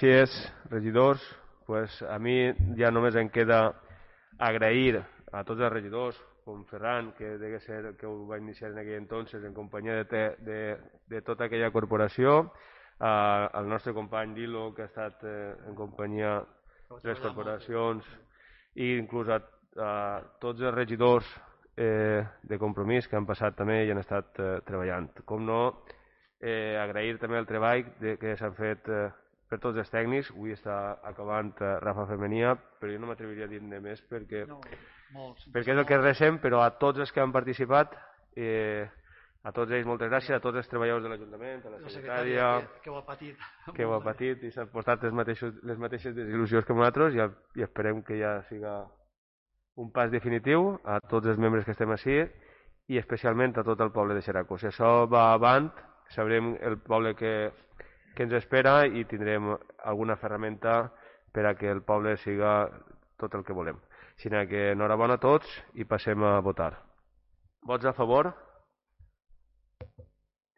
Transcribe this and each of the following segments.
Gràcies, regidors. A mi ja només em queda agrair a tots els regidors, com Ferran, que degué ser el que ho va iniciar en aquell entonces en companyia de tota aquella corporació, al nostre company Dilo, que ha estat en companyia de les corporacions, i inclús a tots els regidors de Compromís que han passat també i han estat treballant. Com no, agrair també el treball que s'han fet per tots els tècnics. Avui està acabant Rafa Femenia, però jo no m'atreviria a dir-ne més perquè és el que recem, però a tots els que han participat, a tots ells moltes gràcies, a tots els treballadors de l'Ajuntament, a la secretària, que ho ha patit i s'han portat les mateixes desil·lusions que nosaltres, i esperem que ja siga un pas definitiu, a tots els membres que estem així i especialment a tot el poble de Xeraco. Si això va avant, sabrem el poble que ens espera i tindrem alguna ferramenta per a que el poble siga tot el que volem. Així que enhorabona a tots i passem a votar. Vots a favor?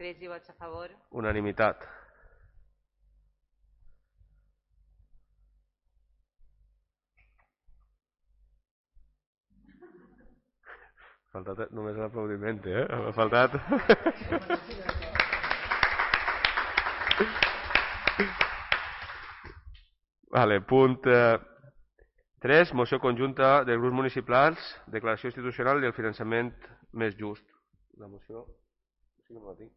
13 vots a favor. Unanimitat. Ha faltat només l'aplaudiment, Ha faltat... Punt 3, moció conjunta dels grups municipals, declaració institucional i el finançament més just. La moció... Sí que no la tinc.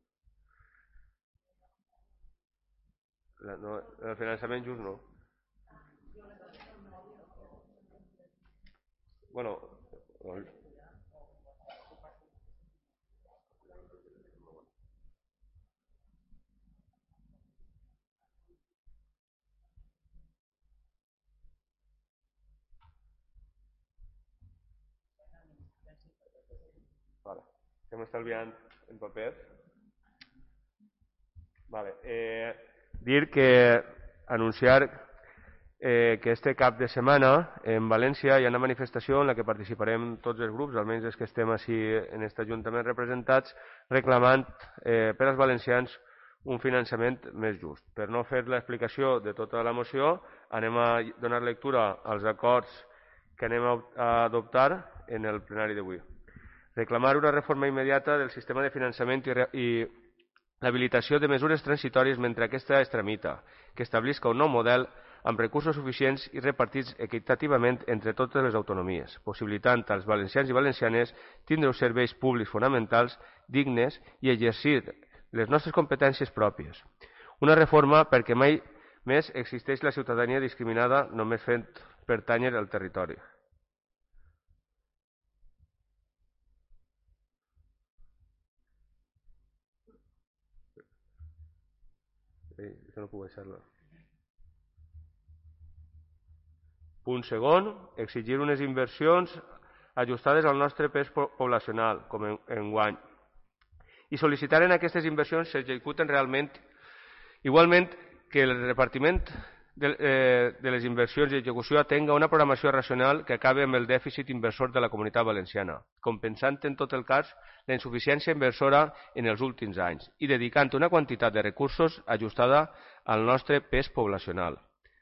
El finançament just no. Bueno... Estem estalviant en paper. Dir que anunciar que este cap de setmana en València hi ha una manifestació en la que participarem tots els grups, almenys els que estem així en aquest Ajuntament representats, reclamant per als valencians un finançament més just. Per no fer l'explicació de tota la moció, anem a donar lectura als acords que anem a adoptar en el plenari d'avui. Reclamar una reforma immediata del sistema de finançament i l'habilitació de mesures transitòries mentre aquesta es tramita, que establisca un nou model amb recursos suficients i repartits equitativament entre totes les autonomies, possibilitant als valencians i valencianes tindre uns serveis públics fonamentals, dignes i exercir les nostres competències pròpies. Una reforma perquè mai més existeix la ciutadania discriminada només fent pertànyer al territori. Això no puc deixar-lo. Punt segon, exigir unes inversions ajustades al nostre pes poblacional, com enguany, i sol·licitar en aquestes inversions s'executen realment, igualment que el repartiment de les inversions i execució atenga una programació racional que acabi amb el dèficit inversor de la Comunitat Valenciana, compensant en tot el cas la insuficiència inversora en els últims anys i dedicant una quantitat de recursos ajustada al nostre pes poblacional,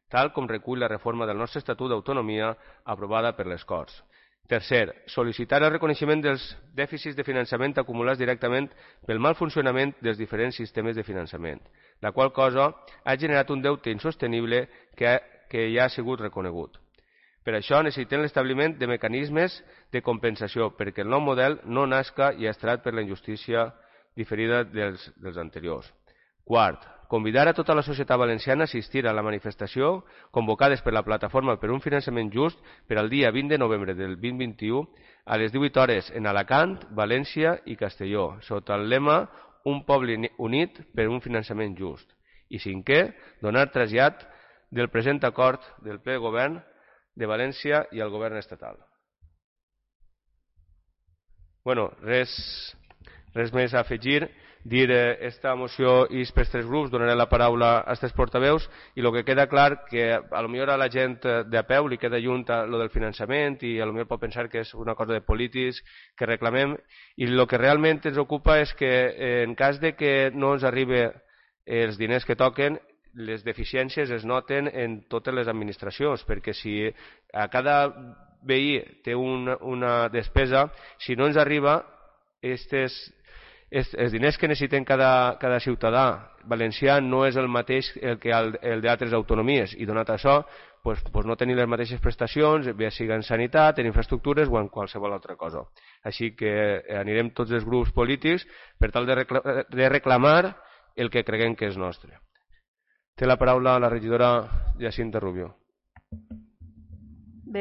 tal com recull la reforma del nostre Estatut d'Autonomia aprovada per les Corts. Tercer, sol·licitar el reconeixement dels dèficits de finançament acumulats directament pel mal funcionament dels diferents sistemes de finançament, la qual cosa ha generat un deute insostenible que ja ha sigut reconegut. Per això necessitem l'establiment de mecanismes de compensació perquè el nou model no nasca llastrat per la injustícia diferida dels anteriors. Quart, convidar a tota la societat valenciana a assistir a la manifestació convocades per la Plataforma per un Finançament Just per al dia 20 de novembre del 2021 a les 18 hores en Alacant, València i Castelló, sota el lema Un poble unit per un finançament just. I cinquè, donar trasllat del present acord del ple govern de València i el govern estatal. Res més a afegir. Dir esta moció és per tres grups, donaré la paraula a aquests portaveus i el que queda clar que potser a la gent de peu li queda lluny lo del finançament i potser pot pensar que és una cosa de polítics que reclamem i el que realment ens ocupa és que en cas de que no ens arribi els diners que toquen les deficiències es noten en totes les administracions, perquè si a cada veí té una despesa, si no ens arriba els diners que necessiten cada ciutadà valencià no és el mateix que el d'altres autonomies, i donat això no tenir les mateixes prestacions, bé sigui en sanitat, en infraestructures o en qualsevol altra cosa. Així que anirem tots els grups polítics per tal de reclamar el que creguem que és nostre. Té la paraula la regidora Jacinta Rubio.